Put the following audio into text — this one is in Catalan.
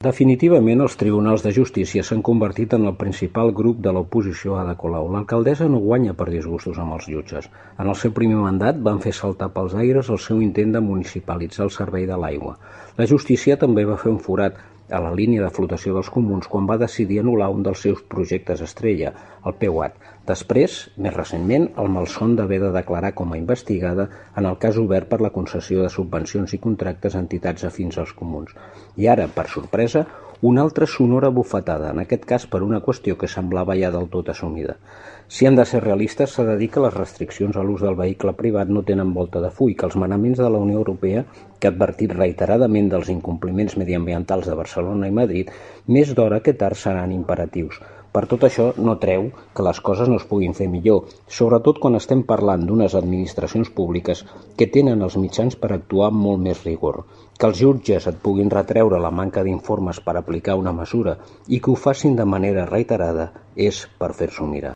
Definitivament, els tribunals de justícia s'han convertit en el principal grup de l'oposició a Ada Colau. L'alcaldessa no guanya per disgustos amb els jutges. En el seu primer mandat van fer saltar pels aires el seu intent de municipalitzar el servei de l'aigua. La justícia també va fer un forat a la línia de flotació dels comuns quan va decidir anul·lar un dels seus projectes estrella, el PEUAT. Després, més recentment, el malson d'haver de declarar com a investigada en el cas obert per la concessió de subvencions i contractes a entitats afins als comuns. I ara, per sorpresa, una altra sonora bufetada, en aquest cas per una qüestió que semblava ja del tot assumida. Si hem de ser realistes, s'ha de dir que les restriccions a l'ús del vehicle privat no tenen volta de full, que els manaments de la Unió Europea, que ha advertit reiteradament dels incompliments mediambientals de Barcelona i Madrid, més d'hora que tard seran imperatius. Per tot això, no treu que les coses no es puguin fer millor, sobretot quan estem parlant d'unes administracions públiques que tenen els mitjans per actuar amb molt més rigor. Que els jutges et puguin retreure la manca d'informes per aplicar una mesura i que ho facin de manera reiterada és per fer-s'ho mirar.